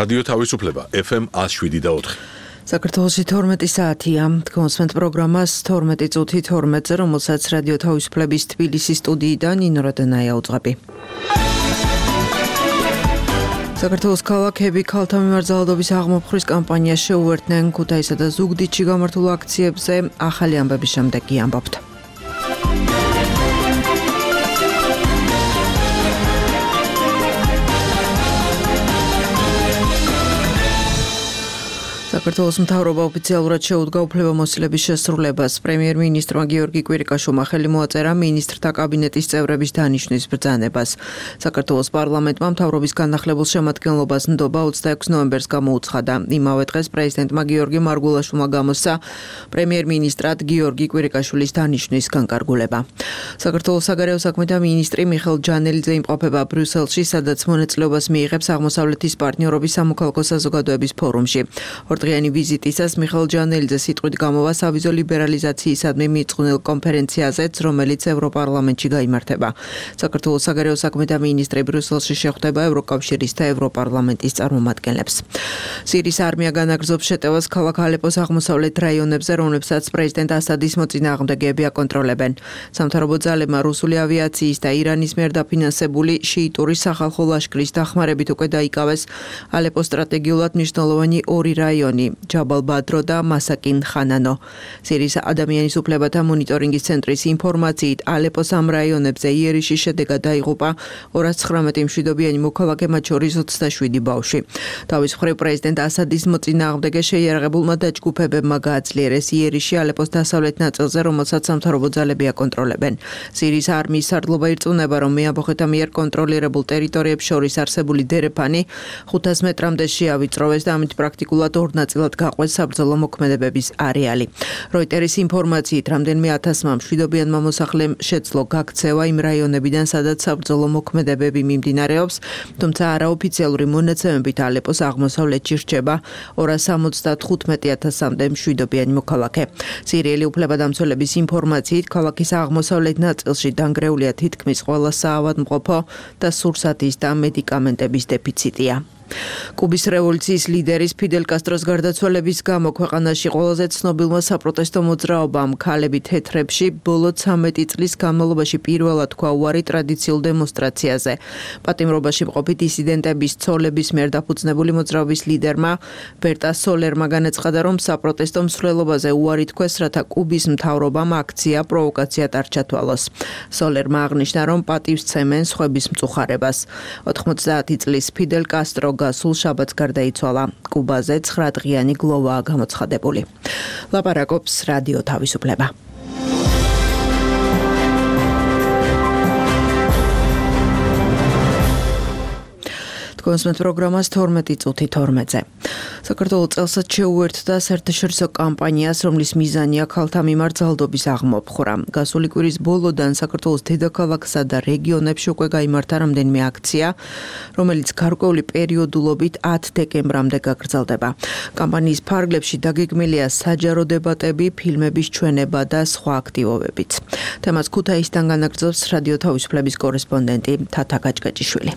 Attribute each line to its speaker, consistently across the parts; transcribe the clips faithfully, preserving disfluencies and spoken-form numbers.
Speaker 1: რადიო თავისუფლება ეფ ემ ათს შვიდი და ოთხი.
Speaker 2: საქართველოში თორმეტი საათია. გონსმენთ პროგრამას თორმეტი წუთი თორმეტზე, რომელსაც რადიო თავისუფლების თბილისის სტუდიიდან ნინო რადანაია უძღვები. საქართველოს ქალაქები ქალთა მიმართ ძალადობის აღმოფხრის კამპანიას შეუერთდნენ. ქუთაისსა და ზუგდიდში გამართულ აქციებზე ახალი ამბების შემდეგ ამბობთ. საქართველოს მთავრობა ოფიციალურად შეუდგა უფლებამოსილების შესრულებას. პრემიერ-მინისტრმა გიორგი კვირიკაშვილმა ხელი მოაწერა მინისტრთა კაბინეტის წევრების დანიშვნის ბრძანებას. საქართველოს პარლამენტმა მთავრობის განახლებულ შემადგენლობას ნდობა ოცდაექვსი ნოემბერს გამოუცხადა. იმავე დღეს პრეზიდენტმა გიორგი მარგულაშვილმა გამოსცა პრემიერ-მინისტრად გიორგი კვირიკაშვილის დანიშვნის განკარგულება. საქართველოს საგარეო საქმეთა მინისტრი მიხეილ ჯანელიძე იმყოფება ბრიუსელში, სადაც მონაწილეობას მიიღებს აღმოსავლეთის პარტნიორობის სამოქალაქო საზოგადოების ფორუმში. ორდღიანი ვიზიტისას მიხეილ ჯანელიძე სიტყვით გამოვა სავიზო ლიბერალიზაციისადმი მიწყვნილ კონფერენციაზეც, რომელიც ევროპარლამენტში გაიმართება. საქართველოს საგარეო საქმეთა მინისტრი ბრიუსელში შეხვდება ევროკავშირის და ევროპარლამენტის წარმომადგენლებს. სირიის არმია განაგრძობს შეტევას ქალაქ ალეპოს აღმოსავლეთ რაიონებზე, რომლებსაც პრეზიდენტ ასადის მოწინააღმდეგეები აკონტროლებენ. სამთავრობო ძალებმა რუსული ავიაციის და ირანის მიერ დაფინანსებული შიიტური სახალხო ლაშქრის დახმარებით უკვე დაიკავეს ალეპოს სტრატეგიულად მნიშვნელოვანი ორი რაიონი, ჯაბალ ბადრო და მასაკინ ხანანო. სირიის ადამიანის უფლებათა მონიტორინგის ცენტრის ინფორმაციით, ალეპოს ამ რაიონებზე იერიშის შედეგად დაიღუპა ორას ცხრამეტი მშვიდობიანი მოქალაქე, მათ შორის ოცდაშვიდი ბავშვი. თავის მხრივ პრეზიდენტ ასადის მოწინააღმდეგე შეიარაღებულმა დაჯგუფებებმა გააძლიერეს იერიში ალეპოს დასავლეთ ნაწილზე, რომელსაც სამთავრობო ძალები აკონტროლებენ. სირიის არმიის სარდლობა ირწმუნება, რომ მეამბოხეთა მიერ კონტროლირებულ ტერიტორიებს შორის არსებული დერეფანი ხუთას მეტრამდე შეავიწროვეს და ამით პრაქტიკულად ორ ნაწილად გაყვეს საბრძოლო მოქმედებების არეალი. როიტერის ინფორმაციით, რამდენიმე ათასმა მშვიდობიანმა მოსახლემ შეძლო გაქცევა იმ რაიონებიდან, სადაც საბრძოლო მოქმედებები მიმდინარეობს, თუმცა არაოფიციალური მონაცემებით ალეპოს აღმოსავლეთში რჩება ორას სამოცდათხუთმეტი ათასამდე მშვიდობიანი მოქალაქე. სირიელი უფლებადამცველების ინფორმაციით, ქალაქის აღმოსავლეთ ნაწილში დანგრეულია თითქმის ყველა საავადმყოფო და სურსათის და მედიკამენტების დეფიციტია. კუბის რევოლუციის ლიდერის ფიდელ კასტროს გარდაცვალების გამო ქვეყანაში ყველაზე ცნობილმა საპროტესტო მოძრაობამ ქალები თეთრებში ბოლო ცამეტი წლის განმავლობაში პირველად თქვა უარი ტრადიციულ დემონსტრაციაზე. პატიმრობაში მყოფი დისიდენტების ცოლების მიერ დაფუძნებული მოძრაობის ლიდერმა ბერტა სოლერმა განაცხადა, რომ საპროტესტო მსვლელობაზე უარი თქვეს, რათა კუბის მთავრობამ აქცია პროვოკაციად არ ჩათვალოს. სოლერმა აღნიშნა, რომ პატივს სცემენ სხვების მწუხარებას. ოთხმოცდაათი წლის ფიდელ კასტრო გასულ შაბათს გარდაიცვალა. კუბაზე ცხრადღიანი გლოვაა გამოცხადებული. ლაპარაკობს რადიო თავისუფლება. გონსმენთ პროგრამას თორმეტი წუთი თორმეტზე. საქართველოს წელსაც შეუერთდა საერთაშორისო კამპანიას, რომლის მიზანია ქალთა მიმართ ძალადობის აღმოფხვრა. გასული კვირის ბოლოდან საქართველოს დედაქალაქსა და რეგიონებში უკვე გაიმართა რამდენიმე აქცია, რომელიც გარკვეული პერიოდულობით ათ დეკემბრამდე გაგრძელდება. კამპანიის ფარგლებში დაგეგმილია საჯარო დებატები, ფილმების ჩვენება და სხვა აქტივობებიც. თემას ქუთაისიდან განაგრძობს რადიო თავისუფლების კორესპონდენტი თათა გაჭგაჭიშვილი.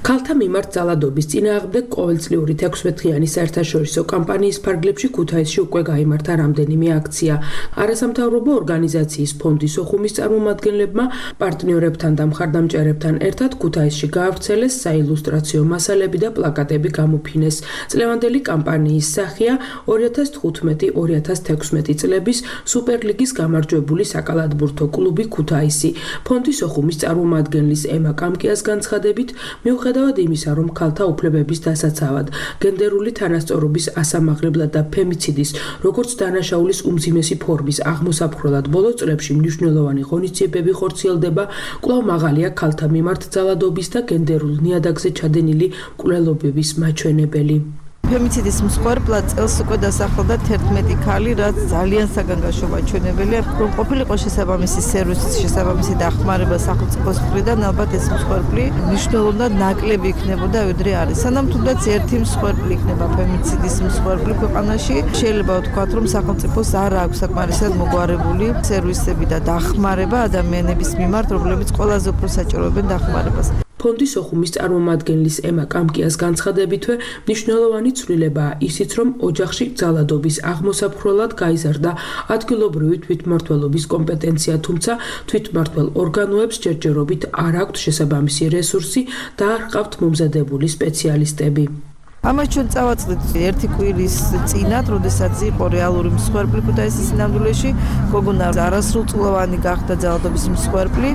Speaker 3: ქალთა მიმართ ძალადობის წინააღმდეგ ყოველწლიური თექვსმეტდღიანი საერთაშორისო კამპანიის ფარგლებში ქუთაისში უკვე გაიმართა რამდენიმე აქცია. არასამთავრობო ორგანიზაციის ფონდის ოხუმის წარმომადგენლებმა პარტნიორებთან და მხარდამჭერებთან ერთად ქუთაისში გაავრცელეს საილუსტრაციო მასალები და პლაკატები გამოფინეს. წლევანდელი კამპანიის სახეა ორი ათას თხუთმეტი ორი ათას თექვსმეტი წლების სუპერლიგის გამარჯვებული საკალათბურთო კლუბი ქუთაისი. ფონდის ოხუმის წარმომადგენლის ემა კამკიას განცხადებით, მიუხედავად იმისა, რომ ქალთა უფლებების დასაცავად, გენდერული თანასწორობის ასამაღლებლად და ფემიციდის, როგორც დანაშაულის უმძიმესი ფორმის აღმოსაფხრელად ბოლო წლებში მნიშვნელოვანი ღონისძიებები ხორციელდება, კვლავ მაღალია ქალთა მიმართ ძალადობის და გენდერულ ნიადაგზე ჩადენილი მკვლელობების მაჩვენებელი.
Speaker 4: ფემიციდის მსხვერპლად წელს უკვე დასახელდა თერთმეტი ქალი, რაც ძალიან საგანგაშო მაჩვენებელია, რომ ყოფილიყო შესაბამისი სერვისის შესაბამისი დახმარება სახელმწიფოს მხრიდან, ალბათ ეს მსხვერპლი მნიშვნელოვნად ნაკლები იქნებოდა, ვიდრე არის. სანამ თუნდაც ერთი მსხვერპლი იქნება ფემიციდის მსხვერპლი ქვეყანაში, შეიძლება ვთქვათ, რომ სახელმწიფოს არ აქვს საკმარისად მოგვარებული სერვისები და დახმარება ადამიანების მიმართ, რომლებიც ყველაზე უფრო საჭიროებენ დახმარებას.
Speaker 3: ფონდის ოხუმის წარმომადგენლის ემა კამკიას განცხადებითვე მნიშვნელოვანი ცვლილებაა ისიც, რომ ოჯახში ძალადობის აღმოსაფხროლად გაიზარდა ადგილობრივი თვითმმართველობის კომპეტენცია, თუმცა თვითმმართველ ორგანოებს ჯერჯერობით არ აქვთ შესაბამისი რესურსი და არ ჰყავთ მომზადებული სპეციალისტები.
Speaker 4: ამას ჩვენ წავაწყდით ერთი კვირის წინათ, როდესაც იყო რეალური მსხვერპლი ქუთაისის სინამდვილეში, გოგონა არასრულწლოვანი გახდა ძალადობის მსხვერპლი,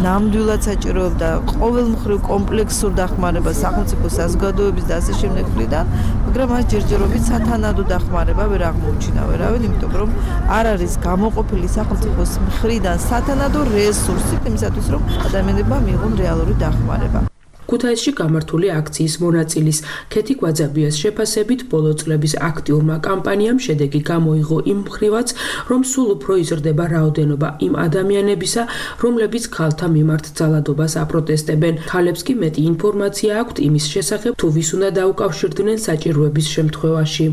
Speaker 4: ნამდვილად საჭიროებდა ყოველმხრივ კომპლექსურ დახმარებას სახელმწიფო საზოგადოების და ასე შემდეგ მხრიდან, მაგრამ მას ჯერჯერობით სათანადო დახმარება ვერ აღმოუჩინა ვერავინ, იმიტომ რომ არ არის გამოყოფილი სახელმწიფოს მხრიდან სათანადო რესურსი იმისათვის, რომ ადამიანებმა მიიღონ რეალური დახმარება.
Speaker 3: ქუთაისში გამართული აქციის მონაწილის ქეთი გვაძაბიას შეფასებით ბოლო წლების აქტიურმა კამპანიამ შედეგი გამოიღო იმ მხრივაც, რომ სულ უფრო იზრდება რაოდენობა იმ ადამიანებისა, რომლებიც ქალთა მიმართ ძალადობას აპროტესტებენ. ქალებს კი მეტი ინფორმაცია აქვთ იმის შესახებ, თუ ვის უნდა დაუკავშირდნენ საჭიროების შემთხვევაში.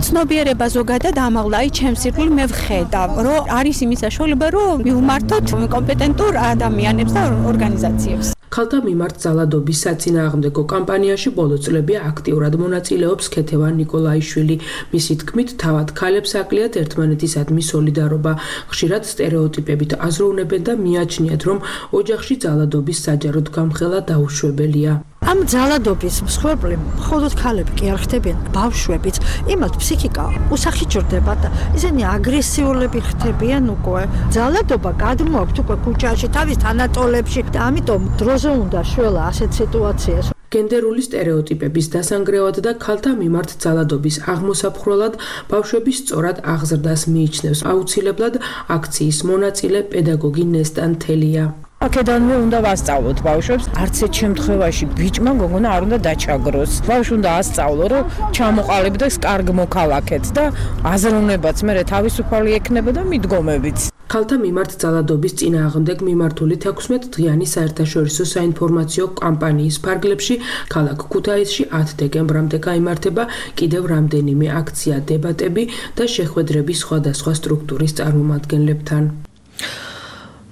Speaker 5: ცნობიერება ზოგადად ამაღლა, აი ჩემს ირგვლივ მე ვხედავ, რომ არის იმის საშუალება, რომ მივმართოთ კომპეტენტურ ადამიანებს და ორგანიზაციებს.
Speaker 3: ქალთა მიმართ ძალადობის საწინააღმდეგო კამპანიაში ბოლო წლები აქტიურად მონაწილეობს ქეთევან ნიკოლაიშვილი. მისი თქმით, თავად ქალებს აკლიათ ერთმანეთისადმი სოლიდარობა. ხშირად სტერეოტიპებით აზროვნებენ და მიაჩნიათ, რომ ოჯახში ძალადობის საჯაროდ გამხელა დაუშვებელია.
Speaker 6: ამ ძალადობის მსხვერპლი მხოლოდ ქალები კი არ ხდებიან, ბავშვებიც. იმათ ფსიქიკა უსახიჭრდება და ისინი აგრესიულები ხდებიან უკვე. ძალადობა გადმოაქვთ უკვე ქუჩაში, თავის თანატოლებში და ამიტომ დროზე უნდა შველა ასეთ სიტუაციას.
Speaker 3: გენდერული სტერეოტიპების დასანგრევად და ქალთა მიმართ ძალადობის აღმოსაფხროლად ბავშვების სწორად აღზრდას მიიჩნევს აუცილებლად აქციის მონაწილე პედაგოგი ნესტან თელია.
Speaker 7: აქედანვე უნდა ვასწავლოთ ბავშვებს, არც ერთ შემთხვევაში ბიჭმა გოგონა არ უნდა დაჩაგროს. ბავშვი უნდა ასწავლო, რომ ჩამოყალიბდეს კარგ მოქალაქედ და აზროვნებაც მერე თავისუფალი ექნება და მიდგომებიც.
Speaker 3: ქალთა მიმართ ძალადობის წინააღმდეგ მიმართული თექვსმეტდღიანი საერთაშორისო საინფორმაციო კამპანიის ფარგლებში ქალაქ ქუთაისში ათი დეკემბრამდე გაიმართება კიდევ რამდენიმე აქცია, დებატები და შეხვედრები სხვადასხვა სტრუქტურის წარმომადგენლებთან.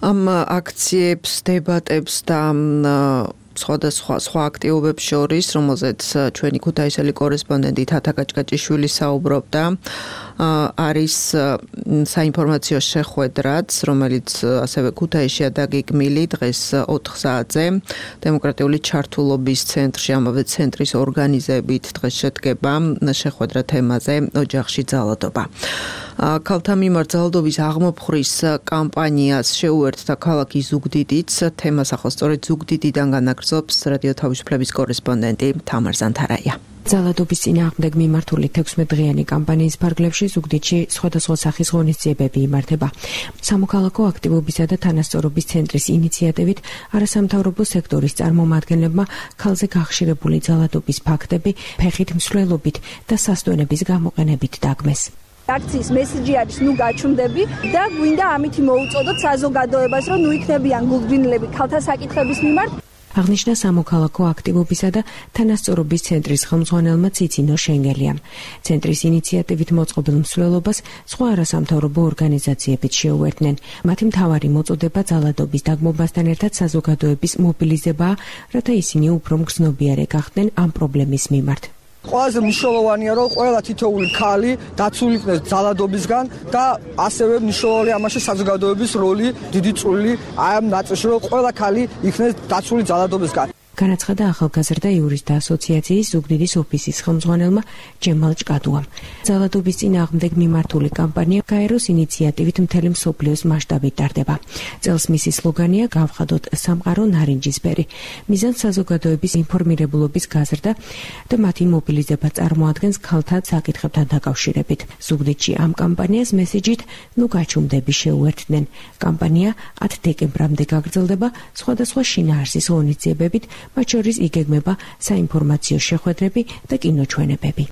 Speaker 2: ამ აქციებს, დებატებს და სხვადასხვა სხვა აქტივობებს შორის, რომელზეც ჩვენი ქუთაისელი კორესპონდენტი თათა კაჭკაჭიშვილი საუბრობდა, არის საინფორმაციო შეხვედრაც, რომელიც ასევე ქუთაისშია დაგეგმილი დღეს ოთხ საათზე დემოკრატიული ჩართულობის ცენტრში, ამავე ცენტრის ორგანიზებით დღეს შედგება შეხვედრა თემაზე ოჯახში ძალადობა. ქალთა მიმართ ძალადობის აღმოფხრის კამპანიას შეუერთდა ქალაქი ზუგდიდიც. თემას ახლა სწორედ ზუგდიდიდან განაგრძობს რადიო თავისუფლების კორესპონდენტი თამარ ზანთარაია.
Speaker 8: ძალადობის წინააღმდეგ მიმართული თექვსმეტდღიანი კამპანიის ფარგლებში ზუგდიდში სხვადასხვა სახის ღონისძიებები იმართება. სამოქალაქო აქტივობისა და თანასწორობის ცენტრის ინიციატივით არასამთავრობო სექტორის წარმომადგენლებმა ქალზე გახშირებული ძალადობის ფაქტები ფეხით მსვლელობით და სასტვენების გამოყენებით დაგმეს.
Speaker 9: აქციის მესიჯი არის ნუ გაჩვდები და გვინდა ამით მოუწოდოთ საზოგადოებას, რომ ნუ იქნებიან გულგრინლები ქალთა საკითხების მიმართ.
Speaker 8: აღნიშნა სამოქალაქო აქტივობისა და თანასწორობის ცენტრის ხელმძღვანელმა ციცინო შენგელიამ. ცენტრის ინიციატივით მოწყობილ მსვლელობას სხვა არასამთავრობო ორგანიზაციებიც შეუერთდნენ. მათი მთავარი მოწოდება ძალადობის დაგმობასთან ერთად საზოგადოების მობილიზებაა, რათა ისინი უფრო მგრძნობიარე გახდნენ ამ პრობლემის მიმართ.
Speaker 10: ყველაზე მნიშვნელოვანია, რომ ყველა თითოეული ქალი დაცული იქნეს ძალადობისგან და ასევე მნიშვნელოვანია ამაში საზოგადოების როლი, დიდი წვლილი აი ამ ნაწილში, რომ ყველა ქალი იქნეს დაცული ძალადობისგან.
Speaker 8: განაცხადა ახალგაზრდა იურისტთა ასოციაციის ზუგდიდის ოფისის ხელმძღვანელმა ჯემალ ჭკადუამ. ძალადობის წინააღმდეგ მიმართული კამპანია გაეროს ინიციატივით მთელი მსოფლიოს მასშტაბით ტარდება. წელს მისი სლოგანია „გავხადოთ სამყარო ნარინჯისფერი“. მიზანს საზოგადოების ინფორმირებულობის გაზრდა და მათი მობილიზება წარმოადგენს ქალთა საკითხებთან დაკავშირებით. ზუგდიდში ამ კამპანიას მესიჯით „ნუ გაჩუმდები“ შეუერთდნენ. კამპანია ათი დეკემბრამდე გაგრძელდება სხვადასხვა შინაარსის ღონისძიებებით, მათ შორის იგეგმება საინფორმაციო შეხვედრები და კინოჩვენებები.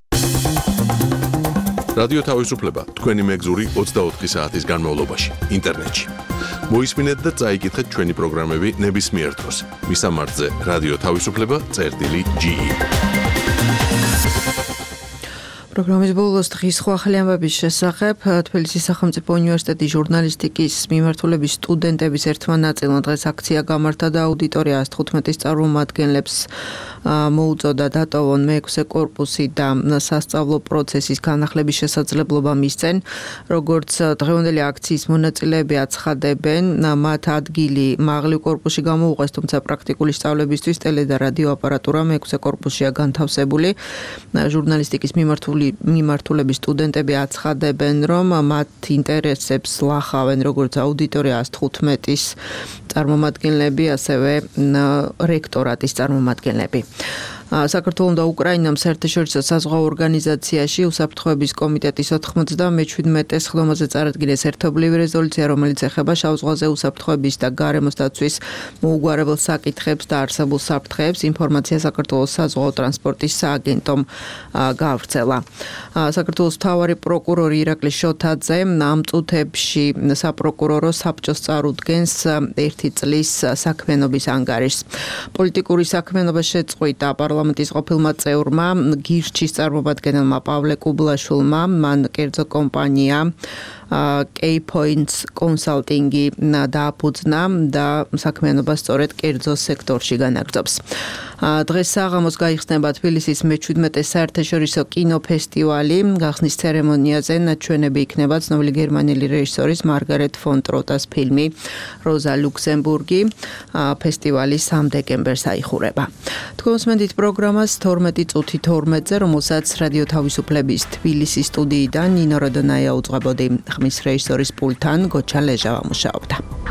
Speaker 1: რადიო თავისუფლება თქვენი მეგზური ოცდაოთხი საათის განმავლობაში ინტერნეტში. მოისმინეთ და წაიკითხეთ ჩვენი პროგრამები ნებისმიერ დროს. მისამართზე რადიო თავისუფლება წერტილი ჯი.
Speaker 2: პროგრამის ბოლოს დღის სხვა ახალი ამბების შესახებ თბილისის სახელმწიფო უნივერსიტეტის ჟურნალისტიკის მიმართულების სტუდენტების ერთმა ნაწილმა დღეს აქცია გამართა და აუდიტორია ას თხუთმეტის წარმომადგენლებს მოუწოდა დატოვონ მეექვსე კორპუსი და სასწავლო პროცესის განახლების შესაძლებლობა მისცენ. როგორც დღევანდელი აქციის მონაწილეები აცხადებენ, მათ ადგილი მაღლივ კორპუსში გამოუყვეს, თუმცა პრაქტიკული სწავლებისთვის ტელე და რადიო აპარატურა მეექვსე კორპუსშია განთავსებული. ჟურნალისტიკის მიმართული მიმართულების სტუდენტები აცხადებენ, რომ მათ ინტერესებს ლახავენ როგორც აუდიტორია ას თხუთმეტის წარმომადგენლები, ასევე რექტორატის წარმომადგენლები. საქართველოს და უკრაინამ საერთაშორისო საზღვაო ორგანიზაციაში უსაფრთხოების კომიტეტის ოთხმოცდამეჩვიდმეტე სხდომაზე წარადგინეს ერთობლივი რეზოლუცია, რომელიც ეხება შავ ზღვაზე უსაფრთხოების და გარემოს დაცვის მოუგვარებელ საკითხებს და არსებულ საფრთხეებს. ინფორმაცია საქართველოს საზღვაო ტრანსპორტის სააგენტომ გაავრცელა. საქართველოს მთავარი პროკურორი ირაკლი შოთაძე ამ წუთებში საპროკურორო საბჭოს წარუდგენს ერთი წლის საქმიანობის ანგარიშს. პოლიტიკური საქმიანობა შეწყვიტა პარლამენტის ყოფილმა წევრმა გირჩის წარმომადგენელმა პავლე კუბლაშვილმა, მან კერძო კომპანია K-Points კონსალტინგი დააფუძნა და საქმიანობა სწორედ კერძო სექტორში განაგრძობს. დღეს საღამოს გაიხსნება თბილისის მეჩვიდმეტე საერთაშორისო კინოფესტივალი. გახსნის ცერემონიაზე ნაჩვენები იქნება ცნობილი გერმანელი რეჟისორის მარგარეტ ფონ ტროტას ფილმი როზა ლუქსემბურგი. ფესტივალი სამ დეკემბერს აიხურება. თქვენს მენდით პროგრამას თორმეტი წუთი თორმეტზე, რომელსაც რადიო თავისუფლების თბილისის სტუდიიდან ნინო როდონაია უძღვებოდი. ხმის რეჟისორის პულტთან გოჩა ლეჟავა მუშაობდა.